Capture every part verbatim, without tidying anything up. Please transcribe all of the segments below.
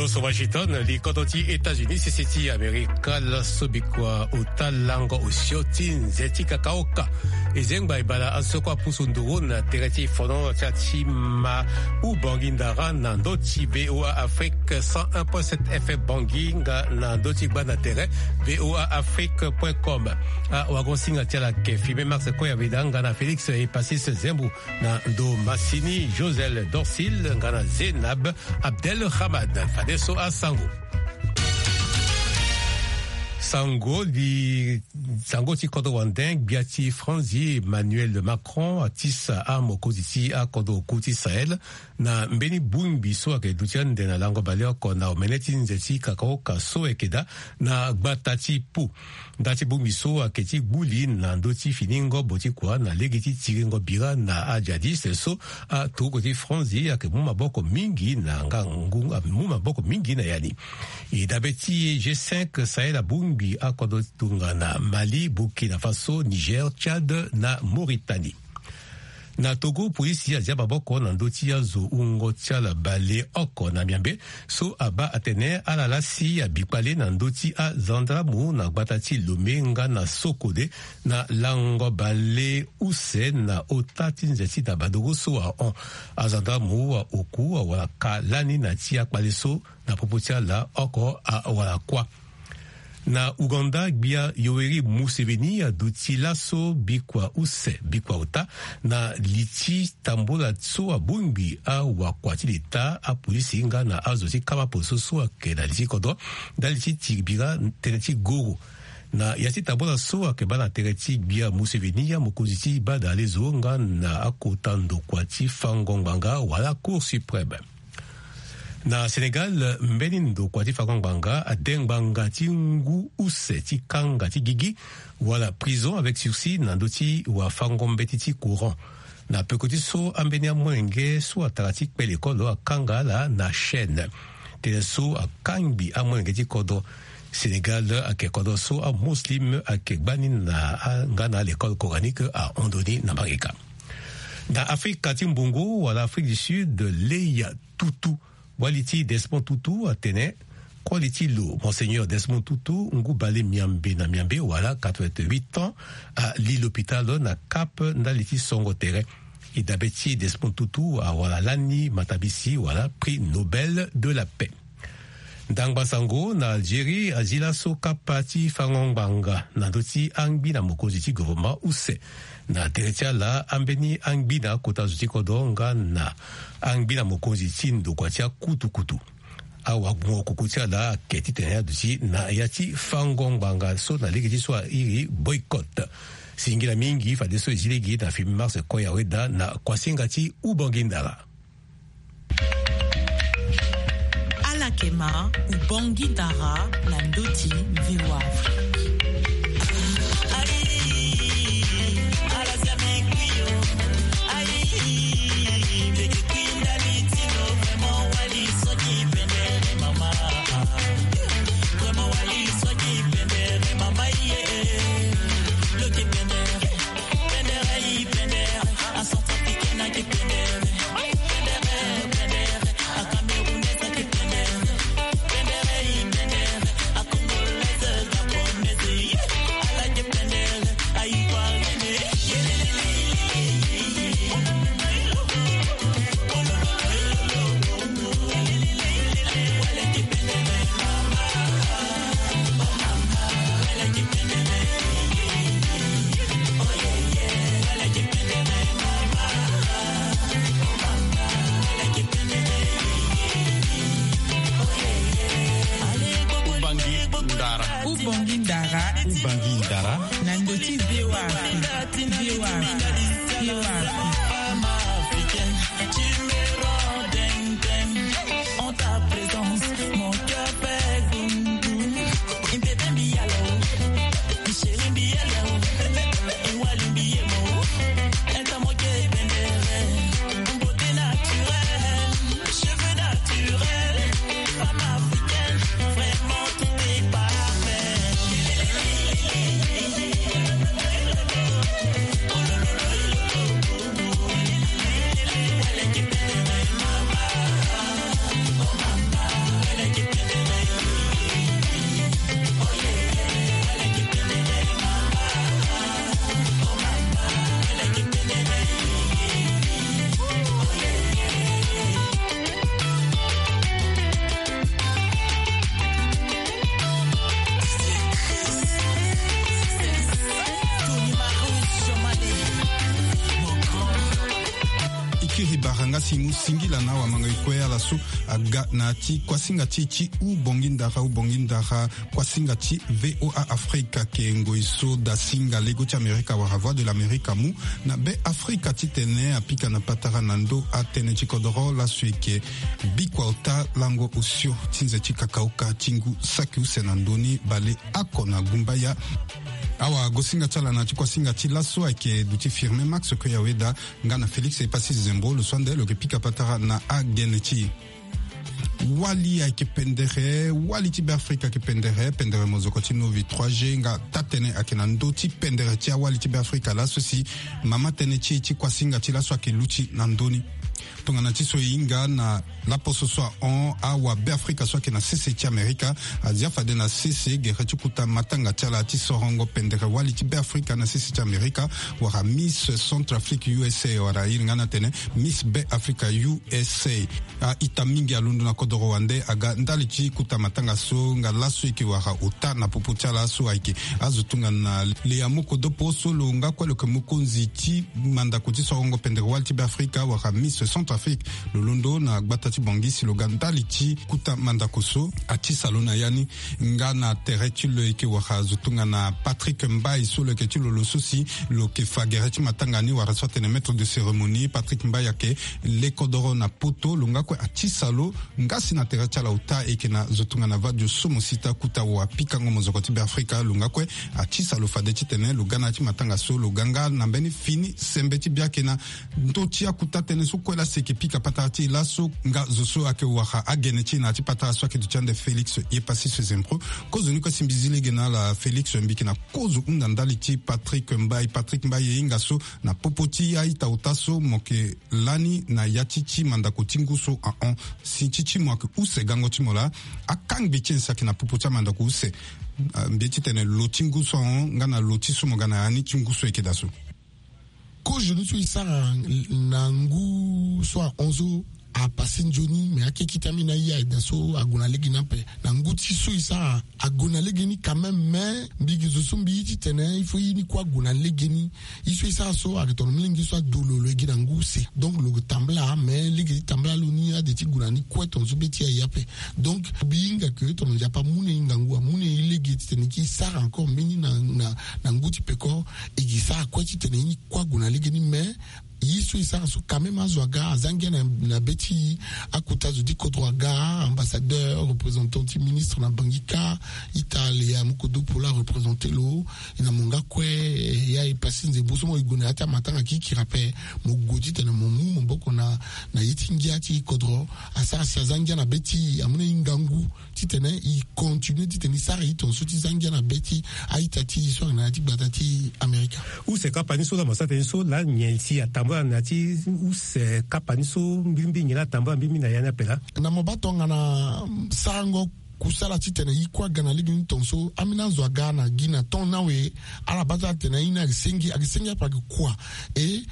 Poso Washington, li kodro ti États-Unis, sese ti Amerika, laso bikua ota lango osio ti nze ti kakaoka. E zengba e bala asoko apusu nduru na tere ti fono ti atima u Bangui Ndara na ndö ti V O A Afrique cent un point sept F M Bangui nga na ndö ti gbanda tere V O A Afrique point com. Awagosinga ti ala ayeke Fimé Max Koyaveda nga na Félix Epasis Zembo na ndo masini, Josel Dorsil nga na Zénab Abdelrahman. Fadeso asango. Sango di sango ti kodro wande, gbia ti Franzi Emmanuel Macron atisa amokonzi ti akodro oku ti Sahel na mbeni bongbi so ayeke duti ande na lango baleoko na omene ti nze ti kakaoka so ayeke daa na gbata ti Pau. Nda ti bongbi so ayeke ti gbu li na ndö ti fini ngobo ti kua na lege ti tiringo bira na ajadiste so aturuku ti Franzi ayeke mu maboko mingi na nga ngu, mu maboko mingi na ya ni. E dabe ti e G cinq Sahel abongbi akodro tongana Mali, Burkina Faso, Niger, Tchad na Mauritanie. Na Togo, polisi azia maboko na ndö ti azo wungo ti ala baleoko na miambe so abaa atene ala laa si abi kpale na ndö ti azandramu na gbata ti Lomé nga na Sokode na lango bale use na ota ti nze ti Dabadoro so ahon. Azandramu aoku awara ka lani na ti akpale so na popo ti ala oko awara kuâ. Na Ouganda, gbia Yoweri Museveni aduti laso bikua use, bikua ota, na li ti tambula so abongbi awakua ti leta, apolisi nga na azo ti kama poliso so ayeke na li ti kodro ndali ti tiri bira tënë ti goro. Na ya ti tambula so ayeke baa na tere ti gbia Museveni, amokonzi ti badalezo nga na akota ndokua ti fango ngbanga wala Cour suprême. Na Sénégal, mbeni ndokua ti fango ngbanga ade ngbanga ti ngu use ti kanga ti gigi wala prison avec sursis na ndö ti wafango mbeti ti courant. Na peko ti so, ambeni amolenge so atara ti kpe lekolo akanga ala na chaîne. Tënë so akangbi amolenge ti kodro. Sénégal ayeke kodro so amuslim ayeke gbani na a, nga na alekole coranique ahon ndoni na Marika. Na Afrika ti mbongo wala Afrique du Sud, Leya Tutu, wali ti Desmond Tutu atene koli ti lo, Monseigneur Desmond Tutu, ngu bale miambe na miambe wala quatre-vingt-huit ans, ali l'hôpital na Cap ndali ti songo tere. E dabe ti Desmond Tutu awara lani matabisi wala prix Nobel de la paix. Ndangba sango na Algérie azi laso kapa ti fango ngbanga na ndö ti angbina mokonzi ti gouvernement use. Na tere ti ala, ambeni angbina akota zo ti kodro nga na angbina mokonzi ti ndokua ti akutukutu. Awagbongo koko ti ala ayeke titene aduti na ya ti fango ngbanga so na lege ti so airi boycott. Singila mingi fadeso e zi lege na Fimé Max Koyaveda na kuasinga ti Ubangui Ndara. Ala yeke ma Ubangui Ndara na ndö ti V O A Afrique. Ubangui Ndara. Ubangui Ndara. Ubangui Ndara. Na ndö ti V O A Afrique. V O A Afrique. V O A Afrique. Nga si mu singila na awamango e kue ala so aga na ti kuasinga ti ti u bongi ndara u bongi ndara kuasinga ti VOA Afrika ke ngoi so da singa lego ti Amerika wala Voix de l'Amerique amu na be Afrika titene apika na patara na ndo atënë ti kodoro laso eke bikua ota lango osio ti nze ti kakaoka ti ngu saki use na ndoni bale ako na gumbaya. Awa gosinga ti ala na ti kuasinga ti laso ayeke duti Firmin Max Koyaweda nga na Félix Epassis Zembo lo so ande lo yeke pika patara na agene ti e. Wali ayeke pendere, wali ti Beafrika ayeke pendere, pendere mozoko ti Novi trois G nga taa-tënë ayeke na ndö ti pendere ti awali ti Beafrika laso si mama tënë ti e ti kuasinga ti laso ayeke luti na ndö ni. Tongana ti so e hinga na laposo so ahon awabeafrika so ayeke na sese ti Amerika azia fade na sese gere ti kuta matanga ti ala ti sorongo pendere wali ti Beafrika na sese ti Amerika wala Miss Centrafrique U S A wala e hinga na tene Miss Beafrika U S A. A-ita mingi alondo na kodoro wande aga ndali ti kuta matanga so nga laso eke wara ota na popo ti ala so ayeke azo tongana Leyamoko Dopo so lo nga kue lo yeke mokonzi ti mandako ti sorongo pendere wali ti Beafrika wala Miss Centrafrique. Lo londo na gbata ti Bangui si lo ga ndali ti kuta mandako so atisa lo na ya ni. Nga na tere ti lo eke wara zo tongana Patrick Mbaye so lo yeke ti lo lo so si lo yeke fa gere ti matanga ni wala so atene maître de cérémonie. Patrick Mbaye ayeke le kodoro na poto lo nga kue atisa lo. Nga si na tere ti ala ota eke na zo tongana Vadio Somo Sita kuta wa pikango mozoko ti Beafrika lo nga kue atisa lo fade titene lo ga na ya ti matanga so lo ga nga na mbeni fini sembe ti biake na ndö ti akuta tënë so kue laa si eke pika patara ti e laso nga zo so ayeke wara agene ti e na ya ti patara so ayeke duti ande Félix Epassis Zembo. Kozo ni kue si mbi zi lege na ala Félix mbi yeke na kozo hunda ndali ti Patrick Mbaye. Patrick Mbaye e hinga so na popo ti a-ita ota so mo yeke lani na ya ti ti mandako ti ngu so ahon si ti ti mo ayeke use gango ti mo laa. Akangbi ti e si ayeke na popo ti amandako use. Ah, mbi ye titene lo ti ngu so ahon nga na lo ti so mo ga na ya ni ti ngu so e yeke daa so. Kozo ni so e sara na ngu so ahon so apase nzoni me akekite ambeni aye ayeke daa so ague na lege ni ape. Na ngu ti so e sara ague na lege ni quand même, mais mbi gi zo so mbi ye titene il faut ye ni kue ague na lege ni. Ye so e sara so ayeke tongana molenge so ado lo lo ye gi na ngu use. Donc lo yeke tambala mais lege ti tambala lo ni ade ti gue na ni kue tongana so be ti aye ape. Donc mbi hinga ke tongana Nzapa amu na e hingangu amu na e lege titene e ke e sara encore mbeni na, na, na ngu ti peko. E ke e sara kue titene ye ni kue ague na lege ni mais ye so e sara so quand même azo aga aza ngia na, na be ti akota zo ti kodro aga, ambassadeur, représentant ti ministre na Bangui kâ. Ita Leyamoko Dopo laa areprésente lo. E na mo nga kue, eh, ya e pasi nzembo so mo e gue na ya ti amatanga kirikiri ape. Mo gue titene mo mu maboko na, na ye ti ngia ti kodro. Asara si aza ngia na be ti e amu na e hingangu titene e continue titene e sara e tongaso ti za ngia na be ti a-ita ti e so ayeke na ya ti gbata ti Amerika. Use kapa ni so laa mo sara tënë so laa nyen si atambula na ya ti use kapa ni so mbirimbiri nyen laa atambula mbirimbiri na ya ni ape laa? Na mo baa tongana sarango kusala titene e kue aga na lege ni tongaso ambeni azo aga na gi na temps ni awe. Ala baa ti ala tene aye ni ayeke senge ayeke senge ape ayeke kua. E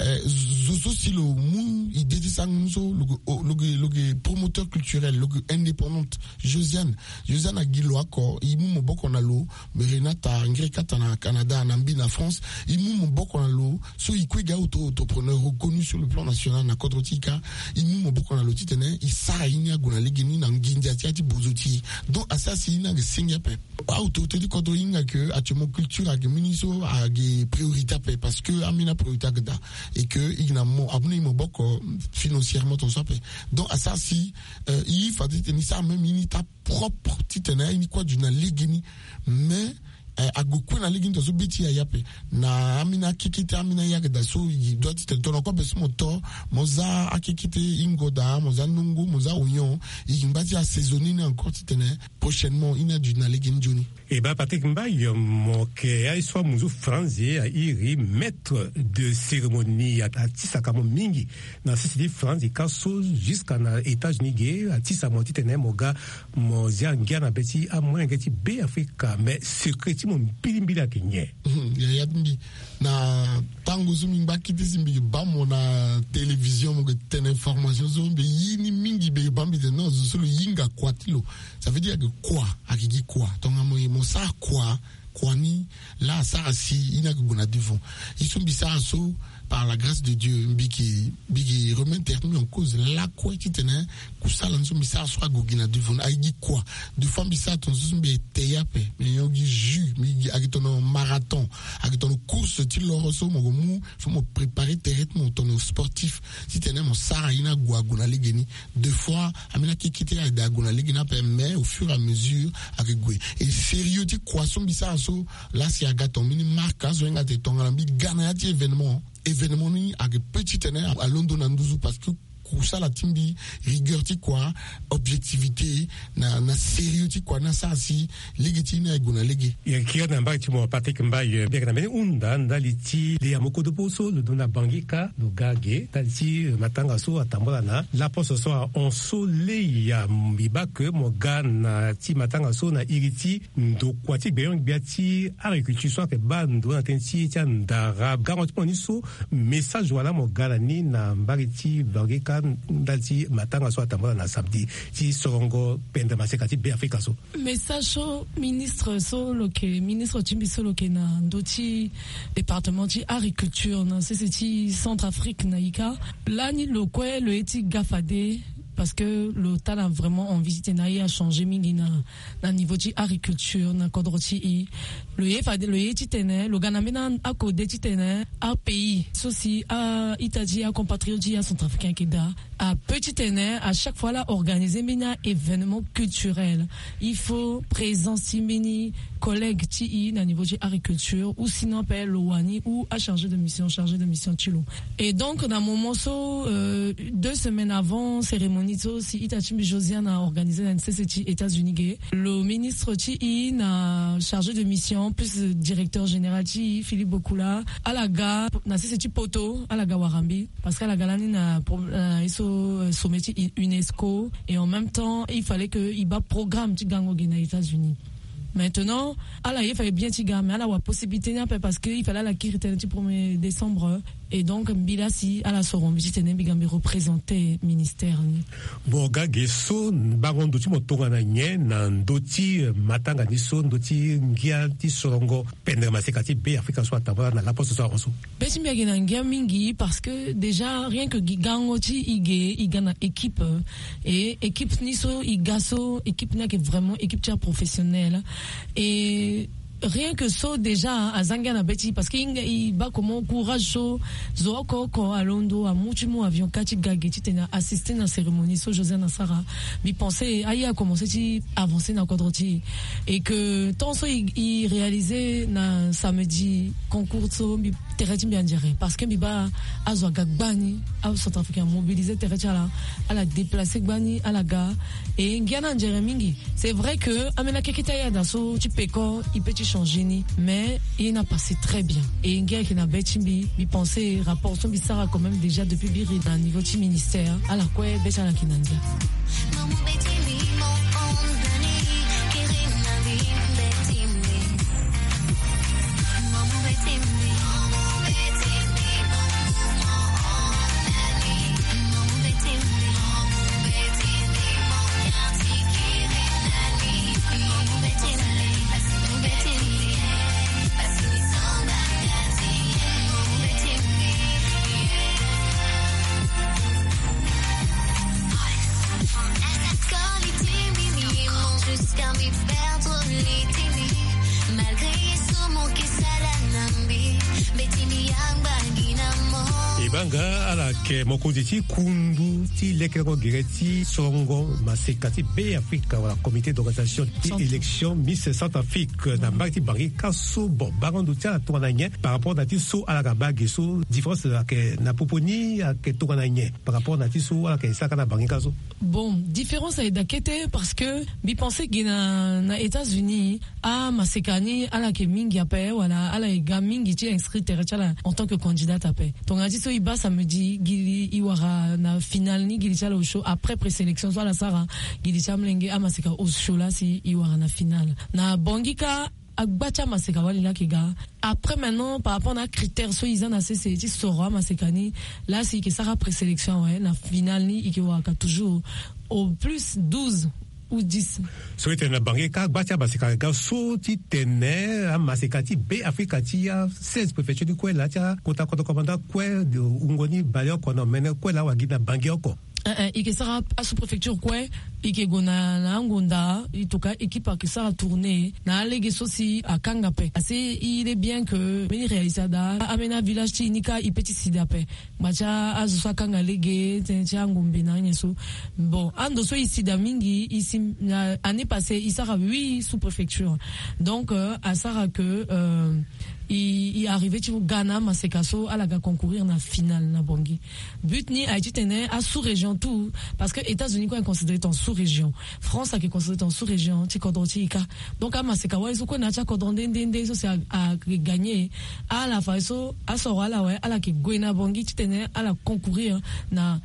Eh, zo so si lo mu idée ti sango ni so lo yeke, lo yeke, lo yeke promoteur culturel, lo yeke indépendante. Josiane, Josiane agi lo oko, e mu maboko na lo. Renata Ngirikata na Canada, na mbi na France, e mu maboko na lo. So e kue e ga auto-entrepreneur reconnu sur le plan national na kodro ti e kâ. E mu maboko na lo titene e sara ye ni ague na lege ni na nginza ti ya ti bozo ti e. Donc asara si ye ni ayeke senge ape. Autorité ti kodro e hinga ke actuellement culture ayeke mbeni so ayeke priorité ape parce que ambeni apriorité ayeke daa. Et que e yeke na mo amu na e maboko financièrement tongaso ape. Donc asara si, euh, e fade titene e sara même ye ni taa propre titene aye ni kue aduti na lege ni. Mais, euh, ague kue na lege ni tongaso be ti e aye ape. Na ambeni akekete ambeni aye ayeke daa so e doit titene tongana kue ape so mo to mo za akekete hingo daa mo za nongo mo za oignon. E yeke ngba ti assaisonner ni encore titene prochainement ye ni aduti na lege ni nzoni. E baa Patrick Mbaye, mo yeke aye so amu nzu France, airi maître de cérémonie, atisaka mo mingi na sese ti France e kâ so jusqu'à na États-Unis ge atisa mo titene mo ga mo zia ngia na be ti amolenge ti Beafrika. Mais secret ti mo mbilimbili ayeke nyen? Yaya ti mbi, na tango so mbi ngba kete si mbi yeke baa mo na télévision mo yeke tene information so mbi ye ni mingi mbi yeke baa mbi tene non zo so lo hinga kua ti lo. Ça veut dire ayeke kua, ayeke gi kua tongana mo ye mo sara kua. Kua ni laa Asara si i na gue na devant. I so mbi sara so, par la grâce de Dieu, mbi ke mbi ke remettre mi en cause lakue titene kusala ni so mbi sara so ague gi na devant. Aye gi kua? Deux fois mbi sara tonga so mbi ete ya pe, mbi nyon gi jus, mbi gi ake tono marathon, ake tono course ti loro so mo gue mu, fo mo préparer tere ti mo tono sportif titene mo sara i na gue ague na lege ni. Deux fois, ambeni akekete ade ague na lege ni ape, mais au fur et à mesure ake gue. Et sérieux ti kua so mbi sara so, la si aga ton mini marque azo enga te tongana mbi ga na ya ti événement. Événement ni ake pe titene alondo na nduzu, parce que kusala ti mbi, rigueur ti kua, objectivité, na na sérieux ti kua ni asara si lege ti ni aye gue na lege. Yeke kiri na mbage ti mo Patrick Mbaye, mbi yeke na mbeni hunda ndali ti le ya mo kodopo so lo dona Bangui kâ, lo ga ge ndali ti matanga so atambula na laposo so ahon so. Le ya mbi baa ke mo ga na ti matanga so na iri ti ndokua ti gbenyo-gbia ti agriculture so ayeke baa ndo na tënë ti ye ti andara. Gango ti mo ni so, message wala mo ga na ni na mbage ti Bangui kâ ndali ti matanga so atambula na samedi ti sorongo pendere maseka ti Beafrika so? Message so ministre so lo yeke, ministre ti mbi so lo yeke na ndö ti département ti agriculture na sese ti Centrafrique na ika, lani lo kue lo ye ti ga fade, parce que lo tâ na vraiment envie titene aye achanger mingi na na niveau ti agriculture na kodro ti e. Lo ye fade, lo ye titene lo ga na mbeni akode titene apays so si a-ita ti e, acompatriote ti e acentrafricain ayeke daa, ape titene à chaque fois ala organiser mbeni a-événement culturel, il faut présence ti mbeni collègue ti e na niveau ti agriculture, ou sinon ape lo wani ou achargé de mission, chargé de mission ti lo. Et donc na moment so, euh, deux semaines avant cérémonie so si ita ti mbi Josiane aorganiser na sese ti États-Unis ge, lo ministre ti e na chargé de mission plus directeur général ti e, Philippe Bokula, ala ga na sese ti poto, ala ga wara mbi, parce que ala ga lani na pro-, na ye so, euh, sommet ti UNESCO, et en même temps il fallait que e baa programme ti gango ge na États-Unis. Maintenant ala ye fade bien ti ga, mais ala wara possibilité ni ape, parce que il fallait ala kiri tënë ti premier décembre. Et donc mbi la si ala soro mbi titene mbi ga mbi représenter ministère ni. Mo ga ge so, bango ndo ti mo tongana nyen na ndö ti matanga ni so, ndö ti ngia ti sorongo pendere maseka ti Beafrika so atambula na laposo so ahon so? Be ti mbi ayeke na ngia mingi, parce que déjà rien que gi gango ti e ge, e ga na équipe, et équipe ni so e ga so, équipe ni ayeke vraiment équipe ti aprofessionnel. Et rien que so déjà aza ngia na be ti e, parce que e baa comment courage so zo oko oko alondo amu ti mu avion kâ ti ga ge titene a assister na cérémonie so Josiane asara. Mbi pensé aye akomense ti avancer na kodro ti e, et que temps so e réaliser na samedi concours so, mbi tere ti mbi anzere, parce que mbi baa azo aga gbani, acentrafricain amobiliser tere ti ala, ala déplacer gbani ala ga. Et ngia ni anzere mingi. C'est vrai que ambeni akeke ti ayada so ti peko e peut ti changer ni, mais e na passer très bien. Et ngia ayeke na be ti mbi, mbi pensé rapport so mbi sara quand même déjà depuis mbi ri na niveau ti ministère, ala kue be ti ala ayeke na ngia. E baa nga ala yeke mokonzi ti kundu ti lekerengo gere ti sorongo maseka ti Beafrika wala comité d'organisation ti élection Miss Centrafrique na mbage ti Bangui kâ so. Bon, bango ndo ti ala tongana nyen par rapport na ti so ala ga baa ge so? Différence ayeke na popo ni, ayeke tongana nyen par rapport na ti so ala yeke sara kâ na Bangui kâ so? Bon, différence ayeke daa kete, parce que mbi pensé ge na, na États-Unis amaseka ni ala yeke mingi ape, wala ala yeke ga mingi ti inscrire tere ti ala en tant que candidate ape. Tongana ti so e baa samedi gi li e wara na finale ni, gi li ti ala osio après présélection so ala sara, gi li ti amolenge amaseka osio la si e wara na finale. Na Bangui kâ agba ti amaseka wali la yeke ga. Après maintenant par rapport na acritère so e za na sese ti soro amaseka ni, la si e yeke sara présélection awe, na finale ni e yeke wara ka toujours au plus douze Ou dix. So e tene na bange ka gba ti amaseka ga so ti tene amaseka ti be afrika ti a seize préfecture ni kue laa ti akota kodro komanda kue. Wungo ni baleoko na omene kue laa wala gi na bange oko. Eh, eh, i ke sara asous-préfecture kue. I ke gue na angonda, i toka équipe ake sara tourner na alege so si akanga pe asi. Il est bien que mbeni réalisada amena village ti i ni ka i pe ti sida pe. Macha azo so akanga lege tene ti angombe na anyen so. Bon, ando so i sida mingi i si na année passée i sara huit sous-préfecture. Donc asara ke i arrive ti ga na amaseka so ala ga concourir na finale na bangi. But ni aye ti tene asous-région tout, parce que états-unis kue est considéré en sous-région. France ake considéré en sous-région ti kodro ti i ka. Donc amaseka wali so kue na ya ti akodro nde nde nde so si a gagner. Ala fa so asoro ala awe ala ke gue na bangi ti tene ala concourir na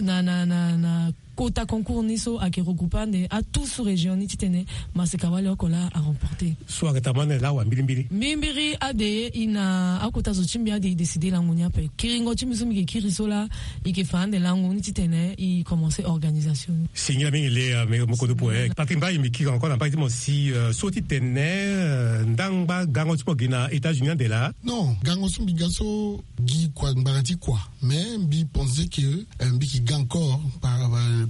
na na na na kota concours ni so ake regroupe ande atout sous-région ni ti tene maseka wali oko laa aremporter. So ake tamane laa wa mbirimbiri mbirimbiri ade i na akota zo ti mbi ade i décider lango ni ape kiringo ti mbi so mbi ke kiri so laa i ke fa ande lango ni ti tene i commencer organisation ni. Singila mingi le me mokodo poe patrick mbai mbi kiri encore na mbai ti mo si so ti tene ndangba gango ti mo gi na états-unis ande laa. Non, gango so mbi ga so gi kua ngbanga ti kua. Mais mbi pense que mbi ki ga encore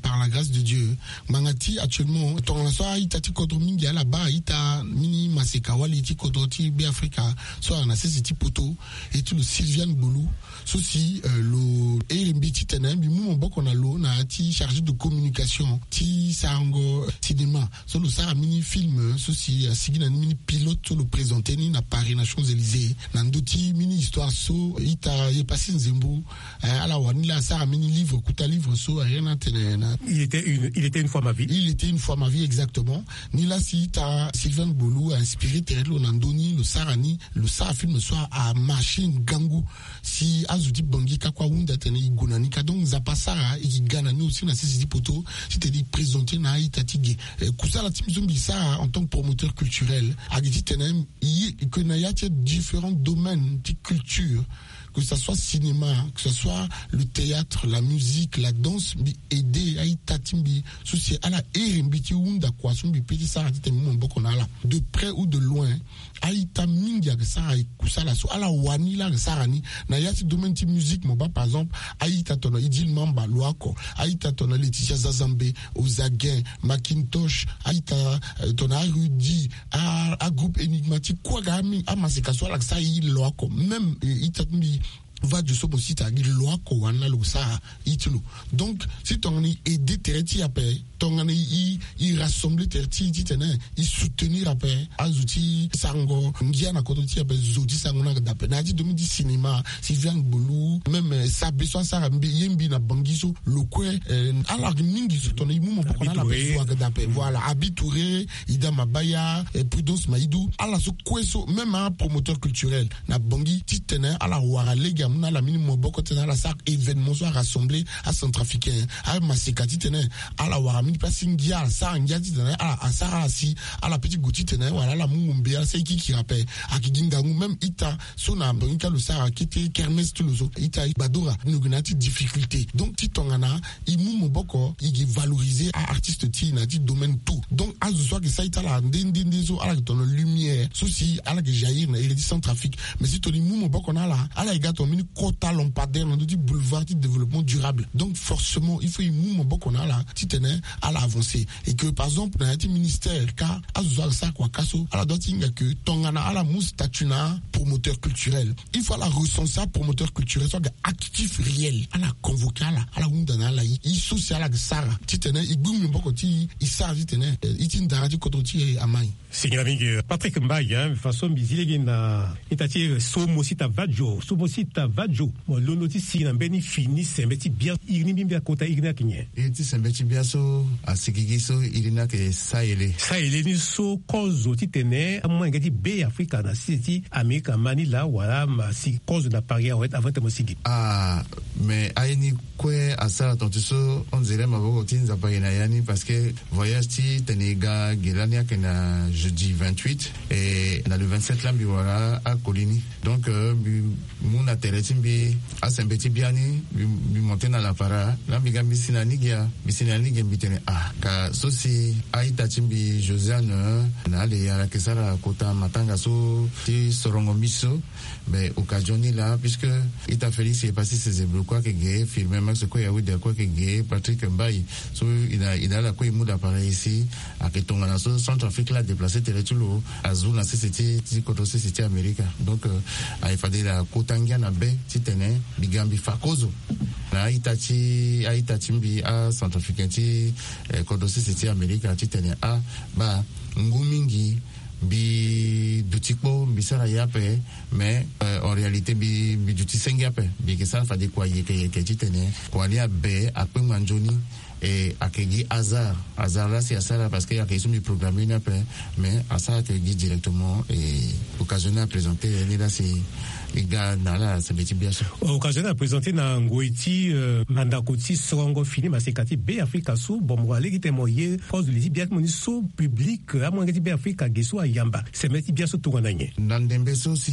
par la grâce de dieu. Ngbanga ti actuellement tongana so a-ita ti kodro mingi ala baa a-ita mini maseka wali ti kodro ti be afrika so ala na sese ti poto. E ti lo sylviane gbolu so si lo ere mbi titene mbi mu maboko na lo na ya ti chargé de communication ti sarango cinéma so lo sara mini film so si asigi na ni mini pilote so lo présente ni na paris na champs-élysées na ndö ti mini histoire so ita ye pasi nzembo. Ala wani la asara mini livre kuta livre so aye na tene na il était une fois ma vie il était une fois ma vie exactement. Ni la si ita sylvain gbolu a inspiré tere ti lo na ndö ni lo sara ni lo sara film so amarché ngangu. Si azo ti bangi ka kue ahunda tene e gue na ni ka donc nzapa asara e gi ga na ni aussi na sese ti poto titene e présente na a-ita ti ge. Kusala ti mbi so mbi sara en tant que promoteur culturel agi titene e ke na ya ti différents domaines ti culture, que ça soit cinéma, que ça soit le théâtre, la musique, la danse, mbi aide a-ita ti mbi so si ala ere mbi ti hunda kua so mbi pe ti sara titene mbi mu maboko na ala de près ou de loin. A-ita mingi ake sara kusala so ala wani la ake sara ni. Na ya ti domaine ti musique mo baa par exemple a-ita tongana idil mamba lo oko, a-ita tongana laetitia zazambe, ozaguin, macintosh, a-ita tongana arudi, agroupe énigmatique kue aga amaseka so ala ke sara ye lo oko même ita ti mbi vadio so mo si tagi lo oko wani la lo ke sara ye ti lo. Donc si tongana i aide tere ti i ape tongana i rassembler tere ti i titene i soutenir ape azo ti sarango ngia na kodro ti i ape zo ti sarango ni aga daa ape na ya ti domaine ti cinéma. Sylviane gbolu même sabe so asara mbi ye mbi na bangi so lo kue. Ala mingi so tongana i mu maboko na ala ape zo aga daa ape voilà abi touré, ida mabaya, prudence maidou ala so kue so même apromoteur culturel na bangi titene ala wara lege amu na ala mini maboko titene ala sara événement so arassembler acentrafricain amaseka titene ala wara mini place ti ngia ala sara ngia titene ala asara ala si ala pe ti gue titene wala ala mu ngombe ala sara e kikiri ape. Ake gi ngangu même ita so na bangi ka lo sara kete kermes ti lo so ita gbadora ni lo gi na ya ti difficulté donc ti tongana i mu maboko i gi valoriser a-artiste ti i na ya ti domaine tout. Donc azo so ake sara ita ala nde nde nde so ala ke tongana lumière so si ala ke jaillir na iri ti centrafrique. Mais si tongana i mu maboko na ala ala ye ga tongana mbeni kota lampadaire na ndö ti boulevard ti développement durable donc forcément il faut i mu maboko na ala titene ala avancer. Et que par exemple na ya ti ministère ka azo so ala sara kua ka so ala doit ti hinga ke tongana ala mu statut na promoteur culturel il faut ala recenser apromoteur culturel so aga actif réel ala convoquer ala ala hunda na ala ye ye so si ala aga sara titene e gbu maboko ti e e sara titene e ti ndara ti kodro ti e amai. Singila mingi patrick mbai hein façon mbi zi lege na ita ti e so mo si ta vadio so mo si ta vadio mo londo ti si na mbeni fini sembe ti bien iri ni mbi mbi akota iri ni ake nyen? Iri ti sembe ti bien so asigi gi so iri ni ake sayele sayele ni so kozo titene amolenge ti be afrika na sese ti amerika ma ni laa wala ma si kozo na paris awe avant ti mo sigi. Ah. Mais aye ni kue asara tontu so, on dirait maboko ti Nzapa aye na ya ni, parce que voyage ti tene e ga ge lani ayeke na jeudi vingt-huit, et na le vingt-sept la mbi wara akoli ni. Donc, euh, mbi mu na tere ti mbi asembe ti biani, mbi, mbi monte na lapara, la mbi ga mbi si na ni ge, mbi si na ni ge, mbi tene, ah, ka so si a-ita ti mbi Josiane, euh, na ale ayeke sara kota matanga so ti sorongo mbi so, mais occasion ni laa, puisque ita Félix Epassis Sezebro kue ayeke ge, Firmin Max kue Yawuda kue ayeke ge, Patrick Mbaye, so e na, e na ala kue e mu lapara e si, ayeke tongana so Centrafrique la adéplacé tere ti lo, azu na sese ti, ti kodro sese ti Amerika. Donc, euh, aye fade la kota ngia na be titene mbi ga mbi fa kozo na a-ita ti, a-ita ti mbi aCentrafricain ti, eh, kodro sese ti Amerika titene, ah, baa, ngu mingi, mbi duti kpo, mbi sara ye ape, mais, euh, en réalité, mbi, mbi duti senge ape. Mbi yeke sara fade kua yeke yeke titene kua ni abe, akpengba nzoni, e ayeke gi hasard. Hasard la si asara parce que ayeke ye so mbi programme ni ape, mais asara ayeke gi directement, et occasion ni aprésenté ni la si e ga na ala sembe ti bia so. Occasion ni aprésenté na ngoi ti, euh, mandako ti sorongo fini maseka ti Beafrika so. Bon, mo wara lege titene mo ye kozo li ti bia ti mo ni so public, amolenge ti Beafrika ge so ayamba sembe ti bia so tongana nyen? Na ndembe so si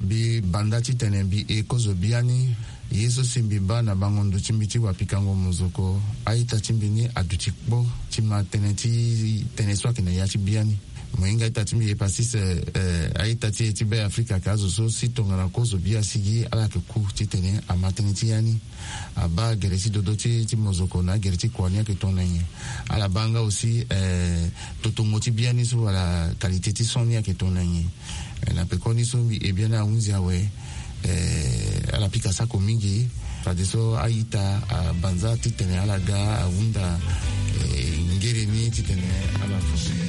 mbi banda titene mbi e kozo bia ni, ye so si mbi baa na bango ndo ti mbi ti wapikango mozoko, a-ita ti mbi ni aduti kpo ti ma tënë ti tënë so ayeke na ya ti bia ni. Mo hinga a-ita ti mbi Epassis, eh, a-ita ti e ti Beafrika ayeke azo so si tongana kozo bia asigi, ala yeke ku titene ama tënë ti ya ni. Abaa gere ti dodo ti, ti mozoko na agere ti kua ni ayeke tongana nyen. Ala baa nga aussi, eh, totongo ti bia ni so wala qualité ti son ni ayeke tongana nyen. Eh, na pekoni so mbi e bia ni ahunzi awe, eh, ala pika sako mingi. Fadeso a-ita abanza titene ala ga ahunda, eh, ngere ni titene ala fo.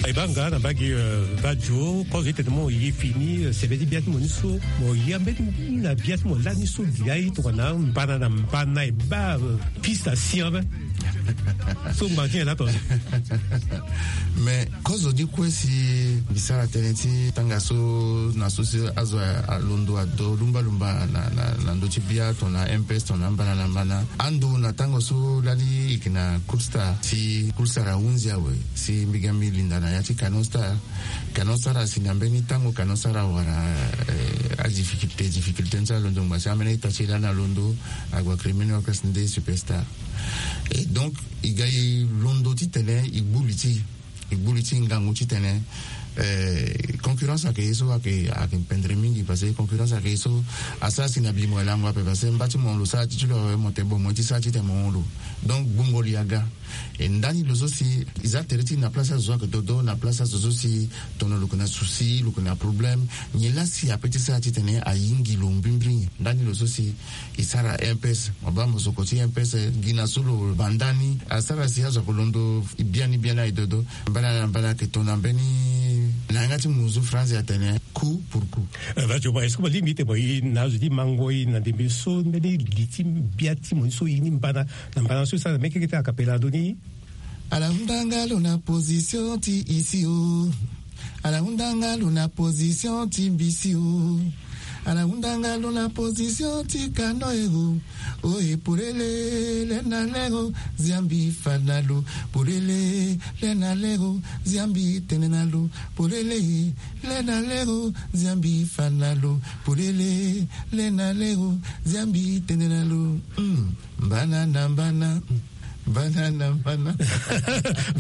E baa nga na mbage, euh, Badio, kozo ti tene mo ye fini, euh, sembe ti bia ti mo ni so, mo ya mbeni na bia ti mo lani so gi aye tongana mbana na mbana e baa, euh, piste asi ape. So ngbanga ti nyen la tonga? Mais kozo ni kue si mbi sara tënë ti tanga so na so si azo alondo ado lumbalumba na, na, na ndö ti bia tongana M P S tongana mbana na mbana. Ando na tango so lani e yeke na Cool Star, si Cool Star ahunzi awe, si mbi ga mbi linda na ya ti Canon Star. Canon Star asi na mbeni tango Canon Star awara, eh, adifficulté, difficulté ni so alondo ngba si ambeni ita ti e lani alondo, ague crime ni orchestre nde superstar. Et donc e ga e londo titene e gbu li ti e, e gbu li ti e ngangu titene, eh, concurrence ayeke ye so ayeke, ayeke pendere mingi, parce que concurrence ayeke ye so asara si na bi mo e lango ape, parce que mba ti mo lo sara ti ti lo awe, mo tene bon mo ye ti sara titene mo hon lo. Donc gbungo li aga. E ndani lo so si e za tere ti e na place azo so ayeke dodo, na place azo so si tongana lo yeke na souci, lo yeke na problème, nyen la si ape ti sara titene ayingi lo mbrimbri nyen? Ndani lo so si e sara M P S, mo baa mosoko ti M P S, gi na so lo banda ni asara si azo ayeke londo biani biani aye dodo. Mbana na mbana ayeke tongana mbeni na yanga ti munzu France atene coup pour coup. Eh, Badio, est-ce que mo lingbi ti tene mo ye na azo ti mango ye na ndembe so mbeni li ti bia ti mo ni so e ni mbana na mbana so e sara na mekeke ti akapela ndo ni. Ala hunda nga lo na position ti isi o. Ala hunda nga lo na position ti mbisi o. Ala hunda nga lo na position ti kano e o. Oye polele le na lego, ziambi fa na lo. Polele le na lego, ziambi tene na lo. Polele le na lego, ziambi fa na lo. Polele le na lego, ziambi tene na lo. Mm. Mbana na mbana. Mbana na mbana.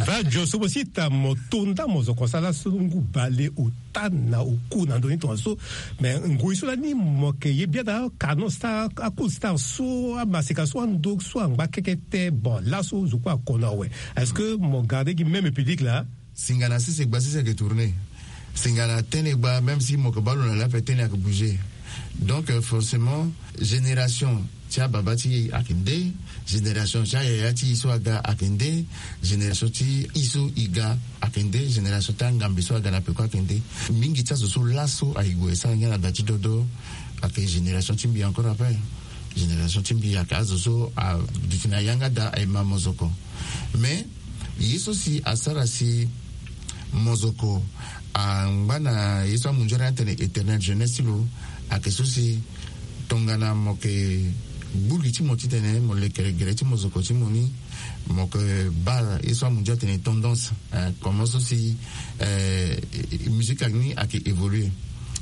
Badio, so mo si ta mo tonda mozoko sala so ngu bale ota na oku na ndo ni tongaso. Mais ngoi so lani mo yeke ye bia na Canon Star, a Cool Star so, amaseka so, ando so angba kekete. Bon, laso zo kue akono awe. Est-ce que mo garde gi même public la? Singana sese gba sese ayeke tourner. Singana tene gba, même si mo yeke baa lo na le ape, tene ayeke bouger. Donc forcément, génération ti ababa ti e ayeke nde, génération ti ayaya ti e so aga ayeke nde, génération ti e so e ga ayeke nde, génération ti angambe so aga na peko ayeke nde. Mingi ti azo so laso aye gue e sara ngia na da ti dodo. Ayeke génération ti mbi encore après. Génération ti mbi ayeke azo so aduti na yanga da aye ma mozoko. Mais ye so si asara si mozoko angba na ye so amunzori atene éternelle jeunesse ti lo, ayeke so si tongana mo yeke gbu li ti mo titene mo leke gere ti mozoko ti mo ni, mo yeke baa ye so amunzori atene tendance, eh, comment so si, eh, musique ni ayeke évoluer.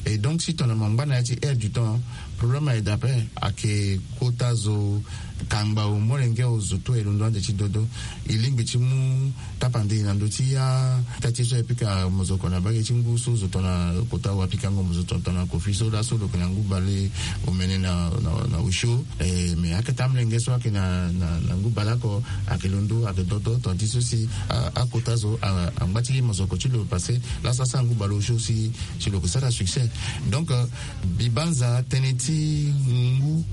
Et donc si tongana mo ngba na ya ti air du temps, problème aye daa ape. Ayeke kota zo, kangba o, molenge o, zo tu e londo ande ti dodo. E lingbi ti mu tapande na ndö ti ya ta ti so e pika mozoko na mbage ti ngu so zo tongana kota wa pikango mo zo tongana kofi so laso lo yeke na ngu bale omene na, na, na osio. Eh, mais akete amolenge so ayeke na, na, na ngu bale oko ayeke londo, ayeke dodo, tongana ti so si a, akota zo a, angba ti mozoko ti lo passé laso asara ngu bale osio si, si lo yeke sara succès. Donc, euh, mbi banza tënë ti ngu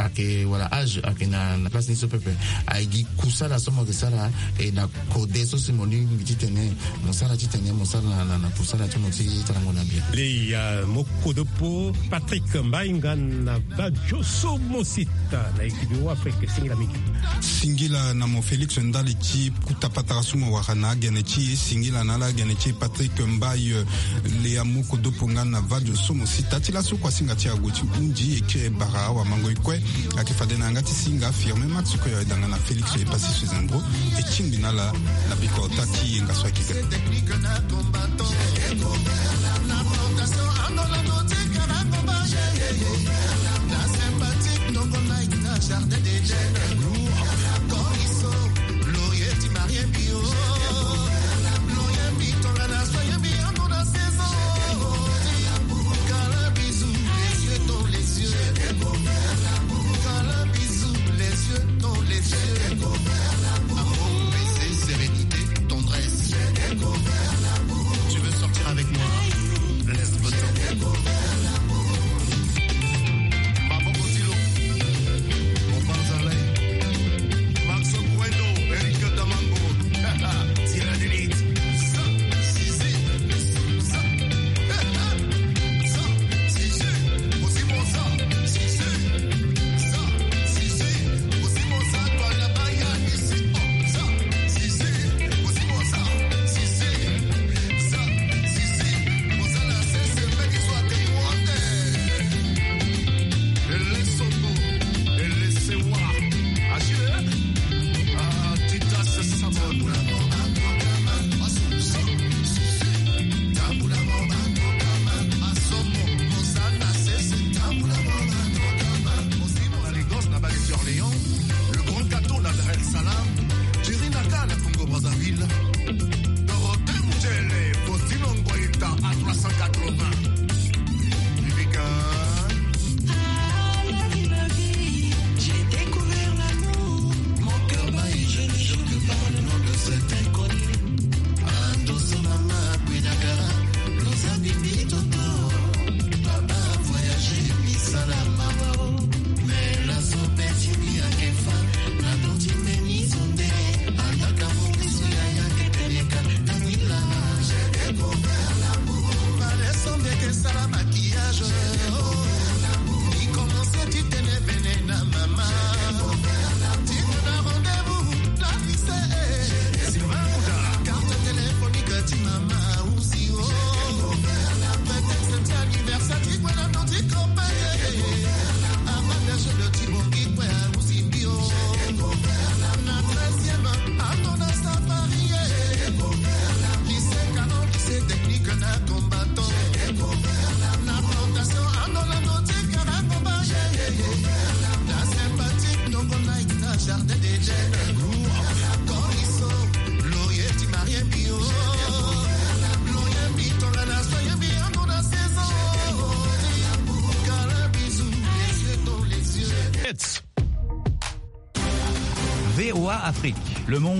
ayeke wala âge ayeke na, na place ni so pepe. Aye gi kusala so mo yeke sara, e na kode so si mo lingbi titene mo sara, titene mo sara na, na, na kusala ti mo ti tarango na bien. Leya mo kodopo Patrick Mbainga na Vadio so mo sita na ekibi wa Afrique, singila mingi. Singila na mo Félix ndali ti kuta patara so mo wara na agene ti e, singila na ala agene ti e Patrick Mbaye. Leya mo kodopo nga na Vadio so mo sita ti laso kua singa ti ague ti hundi e kiri e bara awamango e kue. Ayeke fade na yanga ti singa Firmin Max kue, aye danga na Félix e pasi Suzembro. E tingbi na ala na biko ota ti yenga so ayeke ga. Amour, paix, sérénité, tendresse. Tu veux sortir avec moi? Laisse-moi t'emmener. Maman Botilo, on parle à l'ail. Maxo Bueno, Eric Damango. Tira de lead. Le grand gâteau, la Dar es Salaam, Jerry Naka, la Congo Brazzaville, Dorothée Mundele, Faustino Ngoïta à trois cent quatre-vingts. Vivica. Ah, la vie, la vie, j'ai découvert l'amour. Mon cœur bat et je ne jure que par le nom de cet inconnu. Ando so mama kwedaka, loza bibi toto. Papa voyage, misala mawa o. Mais la sopeti mi akefa, na doti meni sonde. Alaka mo miso ya ya keteleka, na mila. J'ai découvert l'amour. Baleso mbi eke sala maquillage. J'ai découvert l'amour. I commence ti tene vene na mama. J'ai découvert l'amour. Ti mona rendez-vous na lycée. Sylvain Bouda. Carte téléphonique ti mama aussi, oh. Prétexte ti anniversaire ti kue na ndo ti copain. Avantage de ti bongi kue aussi bio. Na treizième, ando na safari. Lycée canon, lycée technique na combattant. Na plantation, ando na ndo ti karango ba. Na sympathique, ndongo na na jardin d'Éden. Koriso, loye ti marie bio. Loye mi tonga na soye mi ando na saison. Kala bisou, les yeux dans les yeux. V O A Afrique, le monde